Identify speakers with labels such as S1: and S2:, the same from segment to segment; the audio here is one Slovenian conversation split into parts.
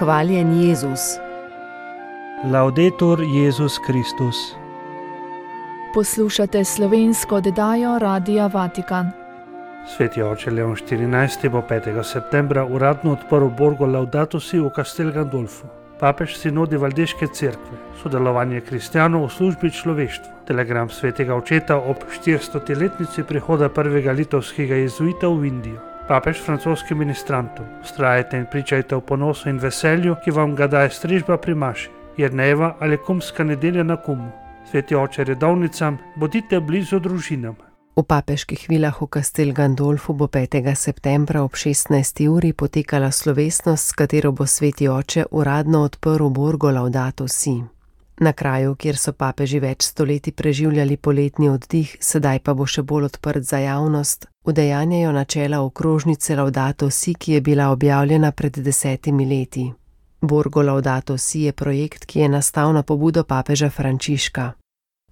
S1: Hvaljen Jezus.
S2: Laudetur Jezus Kristus.
S3: Poslušate slovensko oddajo Radia Vatikan.
S2: Sveti oče Leon XIV. Bo 5. septembra uradno odprl Borgo Laudato Si v Castel Gandolfu. Papež sinodi Valdeške cerkve, sodelovanje kristjanov v službi človeštvu, telegram svetega očeta ob 400-letnici prihoda prvega litovskega jezuita v Indijo. Papež francoskim ministrantom, vztrajajte in pričajte o ponosu in veselju, ki vam ga daje strežba pri maši, Jernejeva ali kumska nedelja na Kumu. Sveti oče redovnicam, bodite blizu družinam.
S1: V papeških vilah v Castel Gandolfu bo 5. septembra ob 16. uri potekala slovesnost, s katero bo sveti oče uradno odprl Borgo Laudato Si. Na kraju, kjer so papeži več stoletij preživljali poletni oddih, sedaj pa bo še bolj odprt za javnost, udejanjajo načela okrožnice Laudato Si, ki je bila objavljena pred 10 leti. Borgo Laudato Si je projekt, ki je nastal na pobudo papeža Frančiška.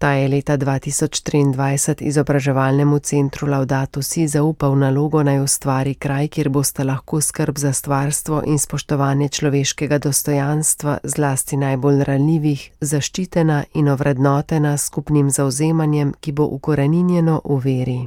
S1: Ta je leta 2023 izobraževalnemu centru Laudato Si zaupal nalogo, naj ustvari kraj, kjer boste lahko skrb za stvarstvo in spoštovanje človeškega dostojanstva, zlasti najbolj ranljivih, zaščitena in ovrednotena s skupnim zavzemanjem, ki bo ukoreninjeno v veri.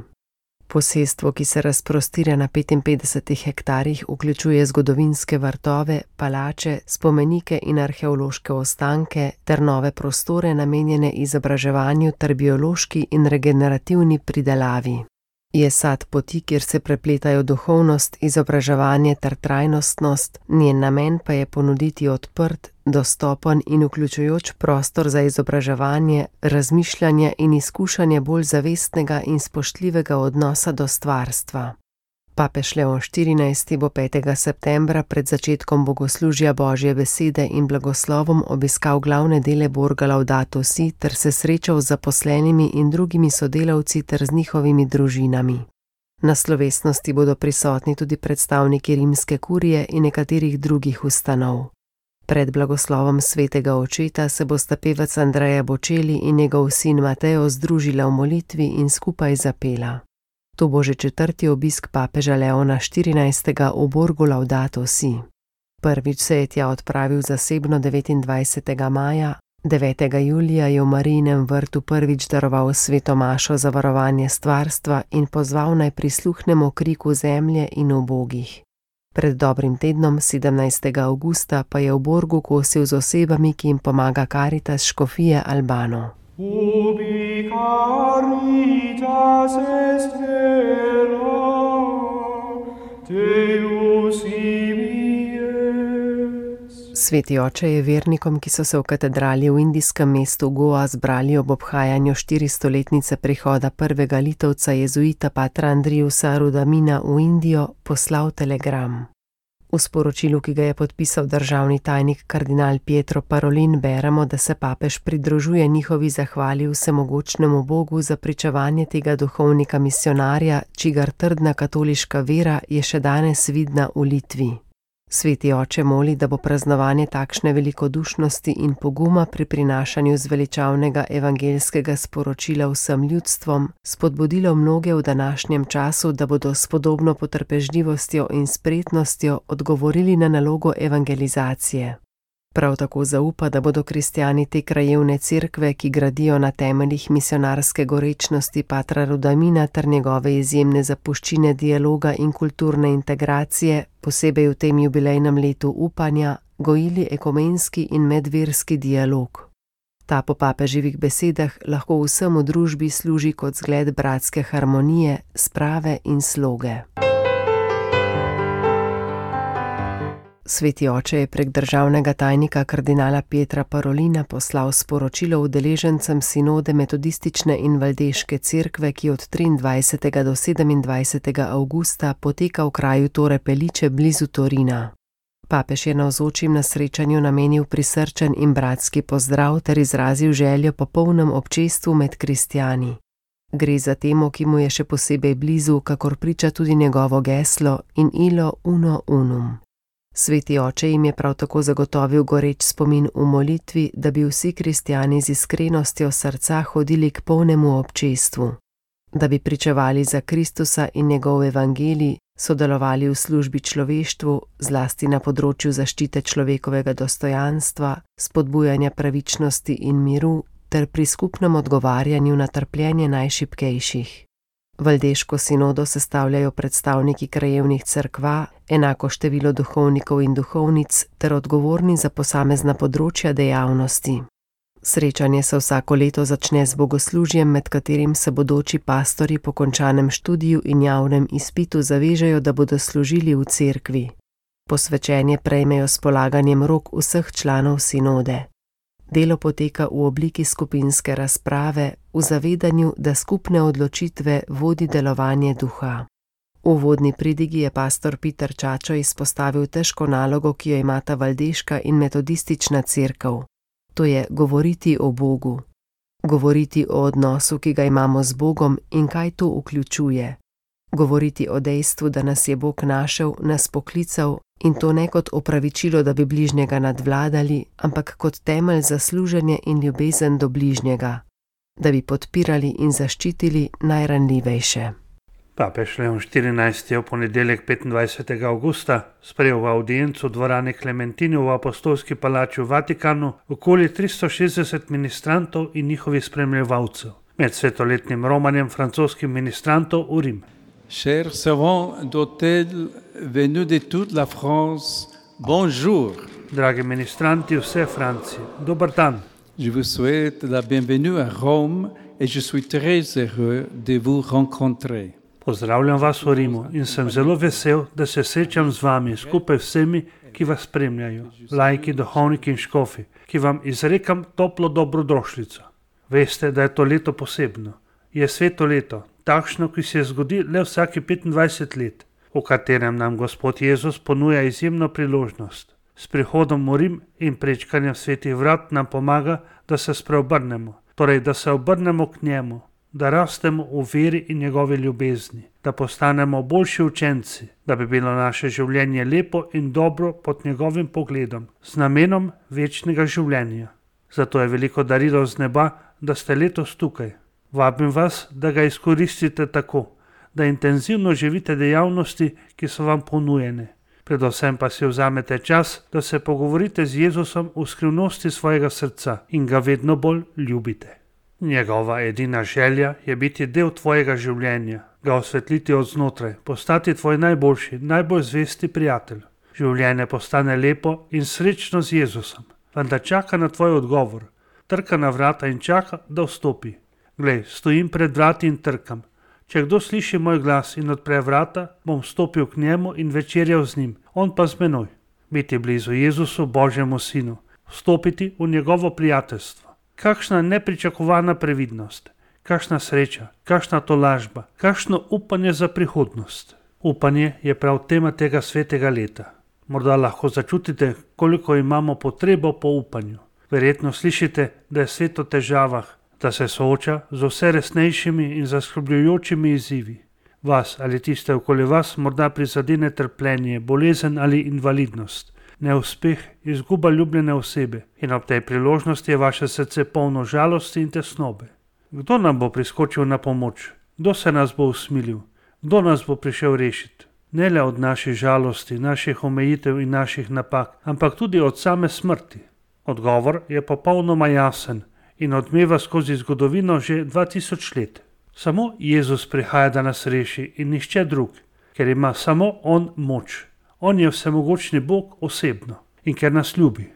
S1: Posestvo, ki se razprostira na 55 hektarjih, vključuje zgodovinske vrtove, palače, spomenike in arheološke ostanke ter nove prostore namenjene izobraževanju ter biološki in regenerativni pridelavi. Je sad poti, kjer se prepletajo duhovnost, izobraževanje ter trajnostnost, njen namen pa je ponuditi odprt, dostopen in vključujoč prostor za izobraževanje, razmišljanje in izkušanje bolj zavestnega in spoštljivega odnosa do stvarstva. Papež Leon XIV. Bo 5. septembra pred začetkom bogoslužja Božje besede in blagoslovom obiskal glavne dele Borga Laudato Si ter se srečal z zaposlenimi in drugimi sodelavci ter z njihovimi družinami. Na slovesnosti bodo prisotni tudi predstavniki rimske kurije in nekaterih drugih ustanov. Pred blagoslovom svetega očeta se bosta pevec Andrea Bocelli in njegov sin Mateo združila v molitvi in skupaj zapela. To bo že 4. obisk papeža Leona XIV. V Borgu Laudato Si. Prvič se je tja odpravil zasebno 29. maja, 9. julija je v Marijinem vrtu prvič daroval sveto mašo za varovanje stvarstva in pozval naj prisluhnemo kriku zemlje in ubogih. Pred dobrim tednom, 17. avgusta, pa je v Borgu kosil z osebami, ki jim pomaga Karitas škofije Albano.
S4: Ubi caritas est vera, Deus imies.
S1: Sveti oče je vernikom, ki so se v katedrali v indijskem mestu Goa zbrali ob obhajanju 400-letnice prihoda prvega litovca jezuita patra Andriusa Rudamina v Indijo, poslal telegram. V sporočilu, ki ga je podpisal državni tajnik kardinal Pietro Parolin, beremo, da se papež pridružuje njihovi zahvali vsemogočnemu Bogu za pričevanje tega duhovnika misionarja, čigar trdna katoliška vera je še danes vidna v Litvi. Sveti oče moli, da bo praznovanje takšne velikodušnosti in poguma pri prinašanju zveličavnega evangeljskega sporočila vsem ljudstvom spodbudilo mnoge v današnjem času, da bodo s podobno potrpežljivostjo in spretnostjo odgovorili na nalogo evangelizacije. Prav tako zaupa, da bodo kristjani te krajevne cerkve, ki gradijo na temeljih misionarske gorečnosti patra Rudamina ter njegove izjemne zapuščine dialoga in kulturne integracije, posebej v tem jubilejnem letu upanja, gojili ekumenski in medverski dialog. Ta po papeževih besedah lahko vsem v družbi služi kot zgled bratske harmonije, sprave in sloge. Sveti oče je prek državnega tajnika kardinala Pietra Parolina poslal sporočilo udeležencem sinode metodistične in valdeške cerkve, ki od 23. do 27. avgusta poteka v kraju Torre Pellice blizu Torina. Papež je navzočim na srečanju namenil prisrčen in bratski pozdrav ter izrazil željo po polnem občestvu med kristjani. Gre za temo, ki mu je še posebej blizu, kakor priča tudi njegovo geslo in illo uno unum. Sveti oče jim je prav tako zagotovil goreč spomin v molitvi, da bi vsi kristjani z iskrenostjo srca hodili k polnemu občestvu. Da bi pričevali za Kristusa in njegov evangelij, sodelovali v službi človeštvu, zlasti na področju zaščite človekovega dostojanstva, spodbujanja pravičnosti in miru ter pri skupnem odgovarjanju na trpljenje najšibkejših. Valdeško sinodo sestavljajo predstavniki krajevnih cerkva, enako število duhovnikov in duhovnic ter odgovorni za posamezna področja dejavnosti. Srečanje se vsako leto začne z bogoslužjem, med katerim se bodoči pastorji po končanem študiju in javnem izpitu zavežejo, da bodo služili v cerkvi. Posvečenje prejmejo s polaganjem rok vseh članov sinode. Delo poteka v obliki skupinske razprave, v zavedanju, da skupne odločitve vodi delovanje duha. V uvodni pridigi je pastor Peter Čačo izpostavil težko nalogo, ki jo imata valdeška in metodistična cerkev. To je govoriti o Bogu. Govoriti o odnosu, ki ga imamo z Bogom in kaj to vključuje. Govoriti o dejstvu, da nas je Bog našel, nas poklical in to ne kot opravičilo, da bi bližnjega nadvladali, ampak kot temelj za služenje in ljubezen do bližnjega, da bi podpirali in zaščitili najranljivejše.
S2: Papež Leon XIV je v ponedeljek 25. avgusta sprejel v audiencu dvorane Klementini v apostolski palači v Vatikanu okoli 360 ministrantov in njihovih spremljevalcev med svetoletnim romanjem francoskih ministrantov v Rim.
S5: Chers servants d'hôtel venus de toute la France, bonjour.
S2: Dragi ministranti vse Francije, dober dan.
S5: Je vous souhaite la bienvenue à Rome et je suis très heureux de vous rencontrer.
S2: Pozdravljam vas v Rimu in sem zelo vesel, da se srečam z vami skupaj vsemi, ki vas spremljajo, laiki, duhovniki in škofi, ki vam izrekam toplo dobrodošlico. Veste, da je to leto posebno. Je sveto leto, takšno, ki se zgodi le vsaki 25 let, v katerem nam Gospod Jezus ponuja izjemno priložnost. S prihodom v Rim in prečkanjem svetih vrat nam pomaga, da se spreobrnemo, torej da se obrnemo k njemu, da rastemo v veri in njegovi ljubezni, da postanemo boljši učenci, da bi bilo naše življenje lepo in dobro pod njegovim pogledom, z namenom večnega življenja. Zato je veliko darilo z neba, da ste letos tukaj. Vabim vas, da ga izkoristite tako, da intenzivno živite dejavnosti, ki so vam ponujene. Predvsem pa si vzamete čas, da se pogovorite z Jezusom v skrivnosti svojega srca in ga vedno bolj ljubite. Njegova edina želja je biti del tvojega življenja, ga osvetliti od znotraj, postati tvoj najboljši, najbolj zvesti prijatelj. Življenje postane lepo in srečno z Jezusom, vendar čaka na tvoj odgovor, trka na vrata in čaka, da vstopi. Glej, stojim pred vrati in trkam. Če kdo sliši moj glas in odpre vrata, bom stopil k njemu in večerjal z njim, on pa z menoj. Biti blizu Jezusu, Božjemu Sinu, vstopiti v njegovo prijateljstvo. Kakšna nepričakovana previdnost, kakšna sreča, kakšna tolažba, kakšno upanje za prihodnost. Upanje je prav tema tega svetega leta. Morda lahko začutite, koliko imamo potrebo po upanju. Verjetno slišite, da je svet v težavah, da se sooča z vse resnejšimi in zaskrbljujočimi izzivi. Vas ali tiste okoli vas morda prizadene trpljenje, bolezen ali invalidnost, neuspeh, izguba ljubljene osebe in ob tej priložnosti je vaše srce polno žalosti in tesnobe. Kdo nam bo priskočil na pomoč? Kdo se nas bo usmilil? Kdo nas bo prišel rešiti? Ne le od naših žalosti, naših omejitev in naših napak, ampak tudi od same smrti. Odgovor je popolnoma jasen in odmeva skozi zgodovino že 2000 let. Samo Jezus prihaja, da nas reši in nihče drug, ker ima samo on moč. On je vsemogočni Bog osebno in ker nas ljubi.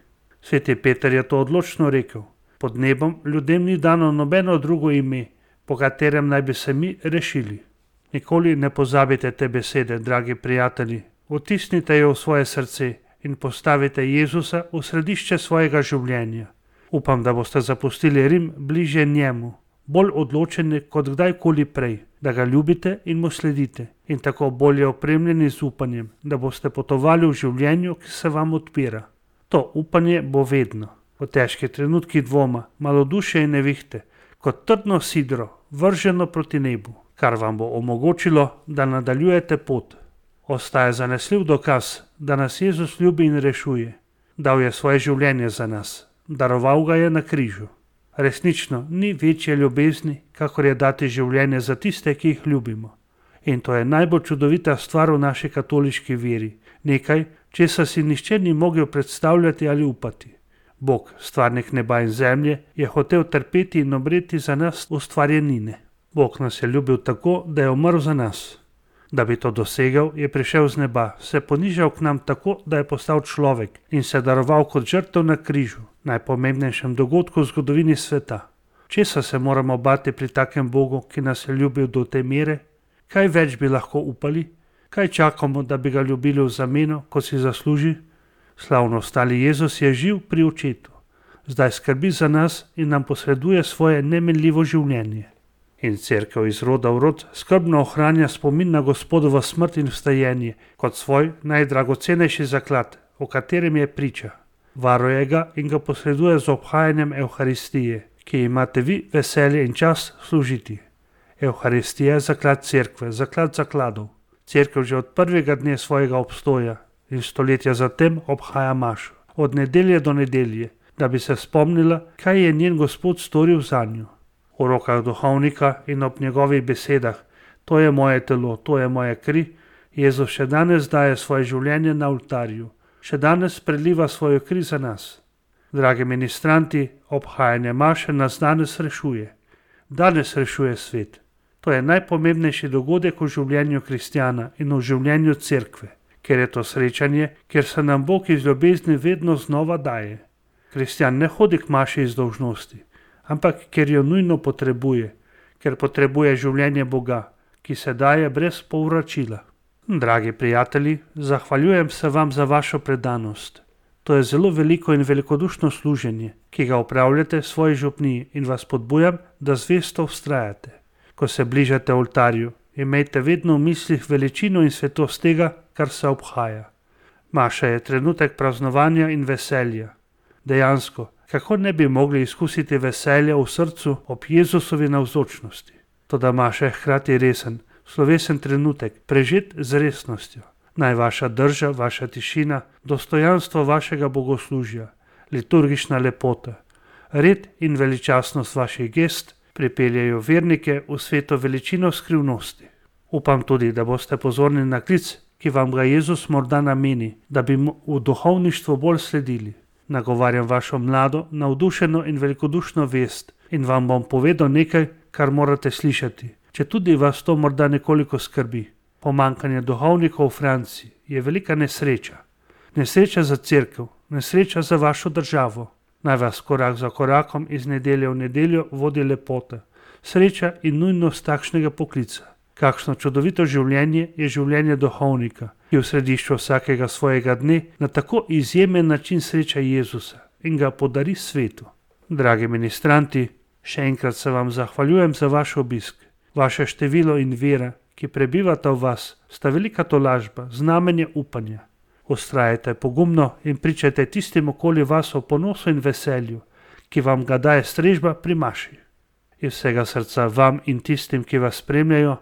S2: Sveti Peter je to odločno rekel. Pod nebom ljudem ni dano nobeno drugo ime, po katerem naj bi se mi rešili. Nikoli ne pozabite te besede, dragi prijatelji. Vtisnite jo v svoje srce in postavite Jezusa v središče svojega življenja. Upam, da boste zapustili Rim bliže njemu, bolj odločeni kot kdajkoli prej, da ga ljubite in mu sledite in tako bolje opremljeni z upanjem, da boste potovali v življenju, ki se vam odpira. To upanje bo vedno, v težkih trenutkih dvoma, malodušja in nevihte, kot trdno sidro, vrženo proti nebu, kar vam bo omogočilo, da nadaljujete pot. Ostaja zanesljiv dokaz, da nas Jezus ljubi in rešuje. Dal je svoje življenje za nas, daroval ga je na križu. Resnično ni večje ljubezni, kakor je dati življenje za tiste, ki jih ljubimo. In to je najbolj čudovita stvar v naši katoliški veri. Nekaj, česar si nihče ni mogel predstavljati ali upati. Bog, stvarnik neba in zemlje, je hotel trpeti in umreti za nas ustvarjenine. Bog nas je ljubil tako, da je umrl za nas. Da bi to dosegel, je prišel z neba, se ponižal k nam tako, da je postal človek in se daroval kot žrtev na križu, najpomembnejšem dogodku v zgodovini sveta. Česa se moramo bati pri takem Bogu, ki nas je ljubil do te mere? Kaj več bi lahko upali? Kaj čakamo, da bi ga ljubili v zameno, ko si zasluži? Slavno ostali Jezus je živ pri očetu. Zdaj skrbi za nas in nam posreduje svoje nemenljivo življenje. In cerkev iz roda v rod skrbno ohranja spomin na Gospodovo smrt in vstajenje kot svoj najdragocenejši zaklad, o katerem je priča. Varuje ga in ga posreduje z obhajanjem Evharistije, ki imate vi veselje in čas služiti. Evharistija je zaklad cerkve, zaklad zakladov. Cerkev že od prvega dne svojega obstoja in stoletja zatem obhaja mašo, od nedelje do nedelje, da bi se spomnila, kaj je njen Gospod storil zanjo. V rokah duhovnika in ob njegovih besedah, to je moje telo, to je moja kri, Jezus še danes daje svoje življenje na oltarju, še danes preliva svojo kri za nas. Dragi ministranti, obhajanje maše nas danes rešuje. Danes rešuje svet. To je najpomembnejši dogodek v življenju kristjana in v življenju cerkve, ker je to srečanje, ker se nam Bog iz ljubezni vedno znova daje. Kristjan ne hodi k maši iz dolžnosti, ampak ker jo nujno potrebuje, ker potrebuje življenje Boga, ki se daje brez povračila. Dragi prijatelji, zahvaljujem se vam za vašo predanost. To je zelo veliko in velikodušno služenje, ki ga opravljate svoji župniji in vas podbujam, da zvesto vztrajate. Ko se bližate oltarju, imejte vedno v mislih veličino in svetost tega, kar se obhaja. Maša je trenutek praznovanja in veselja. Dejansko, kako ne bi mogli izkusiti veselja v srcu ob Jezusovi navzočnosti? Toda maša je hkrati resen, slovesen trenutek, prežet z resnostjo. Naj vaša drža, vaša tišina, dostojanstvo vašega bogoslužja, liturgična lepota, red in veličastnost vaših gest pripeljajo vernike v sveto veličino skrivnosti. Upam tudi, da boste pozorni na klic, ki vam ga Jezus morda nameni, da bi mu v duhovništvu bolj sledili. Nagovarjam vašo mlado, navdušeno in velikodušno vest in vam bom povedal nekaj, kar morate slišati, če tudi vas to morda nekoliko skrbi. Pomanjkanje duhovnikov v Franciji je velika nesreča. Nesreča za cerkev, nesreča za vašo državo. Naj vas korak za korakom iz nedelje v nedeljo vodi lepota, sreča in nujnost takšnega poklica. Kakšno čudovito življenje je življenje duhovnika, ki v središču vsakega svojega dne na tako izjemen način sreča Jezusa in ga podari svetu. Dragi ministranti, še enkrat se vam zahvaljujem za vaš obisk. Vaše število in vera, ki prebivata v vas, sta velika tolažba, znamenje upanja. Vztrajajte pogumno in pričajte tistim okoli vas o ponosu in veselju, ki vam ga daje strežba pri maši. Iz vsega srca vam in tistim, ki vas spremljajo,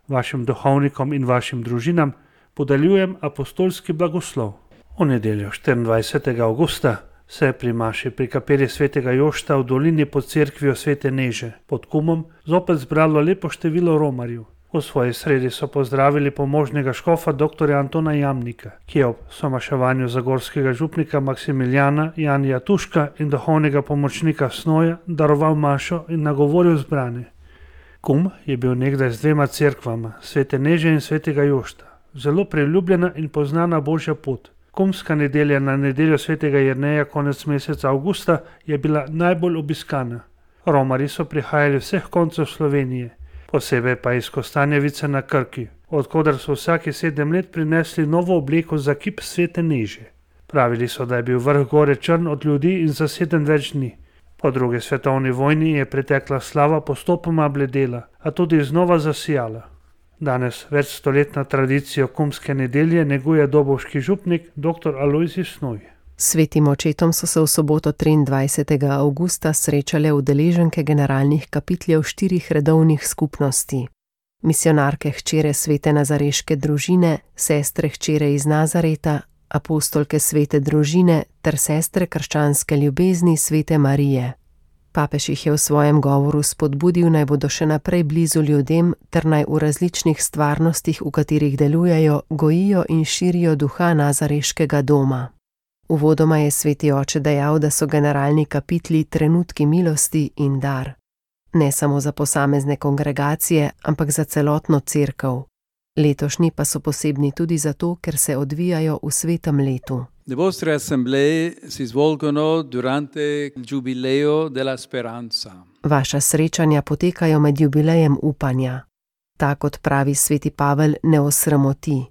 S2: vašim duhovnikom in vašim družinam, podeljujem apostolski blagoslov. V nedeljo 24. avgusta se je pri maši pri kapeli svetega Jošta v dolini pod cerkvijo Svete Neže pod Kumom zopet zbralo lepo število romarjev. V svoji sredi so pozdravili pomožnega škofa dr. Antona Jamnika, ki je ob somaševanju zagorskega župnika Maksimiljana Janija Tuška in duhovnega pomočnika Snoja daroval mašo in nagovoril zbrane. Kum je bil nekdaj z dvema cerkvama, Svete Neže in Svetega Jošta, zelo priljubljena in poznana božja pot. Kumska nedelja na nedeljo Svetega Jerneja konec meseca avgusta je bila najbolj obiskana. Romarji so prihajali vseh koncev Slovenije, posebej pa iz Kostanjevice na Krki, odkoder so vsaki 7 let prinesli novo obleko za kip Svete Neže. Pravili so, da je bil vrh gore črn od ljudi in zaseden več dni. Po drugi svetovni vojni je pretekla slava postopoma bledela, a tudi znova zasijala. Danes večstoletna tradicija kumske nedelje neguje dobovški župnik dr. Alojzij Snoj.
S1: Svetim očetom so se v soboto 23. avgusta srečale udeleženke generalnih kapitljev 4 redovnih skupnosti. Misionarke hčere Svete Nazareške družine, sestre hčere iz Nazareta, apostolke Svete družine ter sestre krščanske ljubezni Svete Marije. Papež jih je v svojem govoru spodbudil, naj bodo še naprej blizu ljudem ter naj v različnih stvarnostih, v katerih delujejo, gojijo in širijo duha Nazareškega doma. Uvodoma je sveti oče dejal, da so generalni kapitli trenutki milosti in dar. Ne samo za posamezne kongregacije, ampak za celotno cerkev. Letošnji pa so posebni tudi zato, ker se odvijajo v svetem letu.
S5: Le vostre assemblee si svolgono durante il Giubileo della Speranza.
S1: Vaša srečanja potekajo med jubilejem upanja. Ta, kot pravi sveti Pavel, ne osramoti.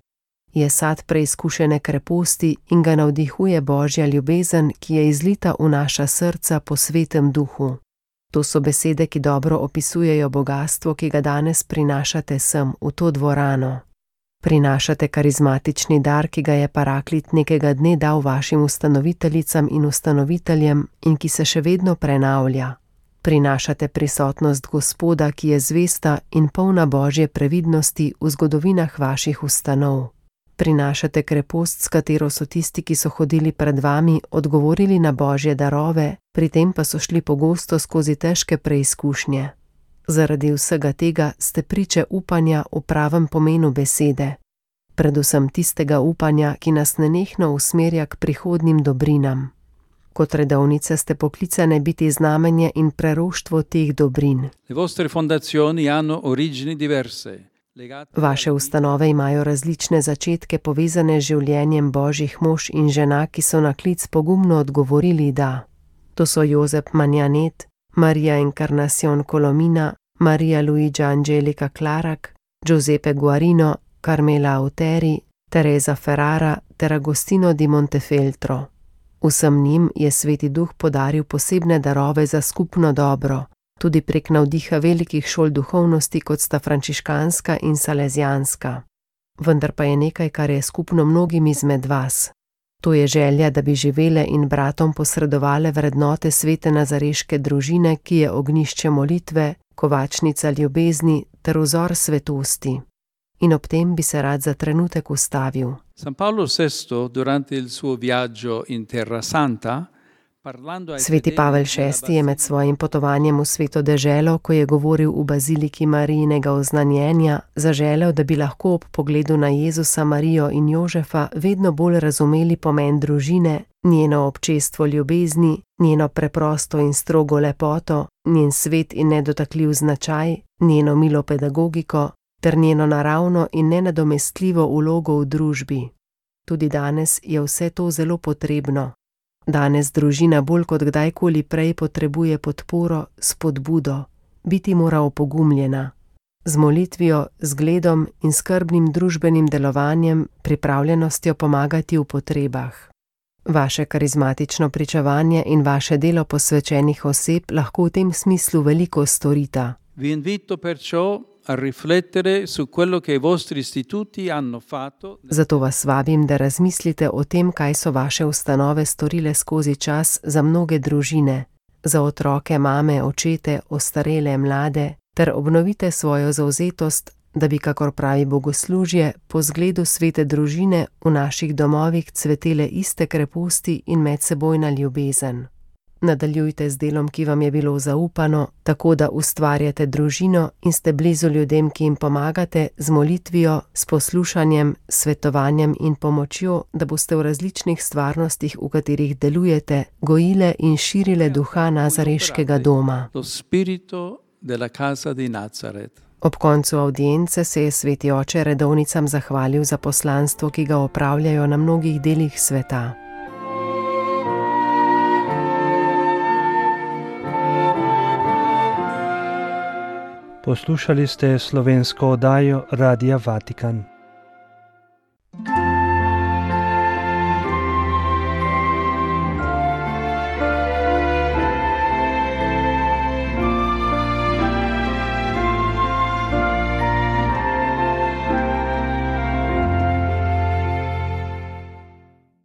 S1: Je sad preizkušene kreposti in ga navdihuje Božja ljubezen, ki je izlita v naša srca po svetem duhu. To so besede, ki dobro opisujejo bogastvo, ki ga danes prinašate sem, v to dvorano. Prinašate karizmatični dar, ki ga je Paraklit nekega dne dal vašim ustanoviteljicam in ustanoviteljem in ki se še vedno prenavlja. Prinašate prisotnost Gospoda, ki je zvesta in polna Božje previdnosti v zgodovinah vaših ustanov. Prinašate krepost, s katero so tisti, ki so hodili pred vami, odgovorili na Božje darove, pri tem pa so šli pogosto skozi težke preizkušnje. Zaradi vsega tega ste priče upanja v pravem pomenu besede. Predvsem tistega upanja, ki nas nenehno usmerja k prihodnim dobrinam. Kot redovnice ste poklicane biti znamenje in preroštvo teh dobrin.
S5: Le vostre fondazioni hanno origini diverse.
S1: Vaše ustanove imajo različne začetke povezane z življenjem Božjih mož in žena, ki so na klic pogumno odgovorili da. To so Jozef Manjanet, Maria Encarnacion Colomina, Maria Luigia Angelica Clarac, Giuseppe Guarino, Carmela Auteri, Teresa Ferrara ter Agostino di Montefeltro. Vsem njim je Sveti Duh podaril posebne darove za skupno dobro, tudi prek navdiha velikih šol duhovnosti, kot sta frančiškanska in salezijanska. Vendar pa je nekaj, kar je skupno mnogim izmed vas. To je želja, da bi živele in bratom posredovale vrednote svete nazareške družine, ki je ognjišče molitve, kovačnica ljubezni ter vzor svetosti. In ob tem bi se rad za trenutek ustavil.
S5: San Paolo VI, durante il suo viaggio in Terra Santa,
S1: Sveti Pavel VI je med svojim potovanjem v sveto deželo, ko je govoril v baziliki Marijinega oznanjenja, zaželel, da bi lahko ob pogledu na Jezusa, Marijo in Jožefa vedno bolj razumeli pomen družine, njeno občestvo ljubezni, njeno preprosto in strogo lepoto, njen svet in nedotakljiv značaj, njeno milo pedagogiko ter njeno naravno in nenadomestljivo vlogo v družbi. Tudi danes je vse to zelo potrebno. Danes družina bolj kot kdajkoli prej potrebuje podporo, spodbudo, biti mora opogumljena. Z molitvijo, zgledom in skrbnim družbenim delovanjem, pripravljenostjo pomagati v potrebah. Vaše karizmatično pričevanje in vaše delo posvečenih oseb lahko v tem smislu veliko storita.
S5: Vi invito perciò a riflettere su quello che i vostri istituti hanno fatto.
S1: Zato vas vabim, da razmislite o tem, kaj so vaše ustanove storile skozi čas za mnoge družine, za otroke, mame, očete, ostarele, mlade, ter obnovite svojo zavzetost, da bi, kakor pravi bogoslužje, po zgledu svete družine v naših domovih cvetele iste kreposti in medsebojna ljubezen. Nadaljujte z delom, ki vam je bilo zaupano, tako da ustvarjate družino in ste blizu ljudem, ki jim pomagate, z molitvijo, s poslušanjem, svetovanjem in pomočjo, da boste v različnih stvarnostih, v katerih delujete, gojile in širile duha Nazareškega doma. Ob koncu avdience se je sveti oče redovnicam zahvalil za poslanstvo, ki ga opravljajo na mnogih delih sveta.
S2: Poslušali ste slovensko oddajo Radia Vatikan.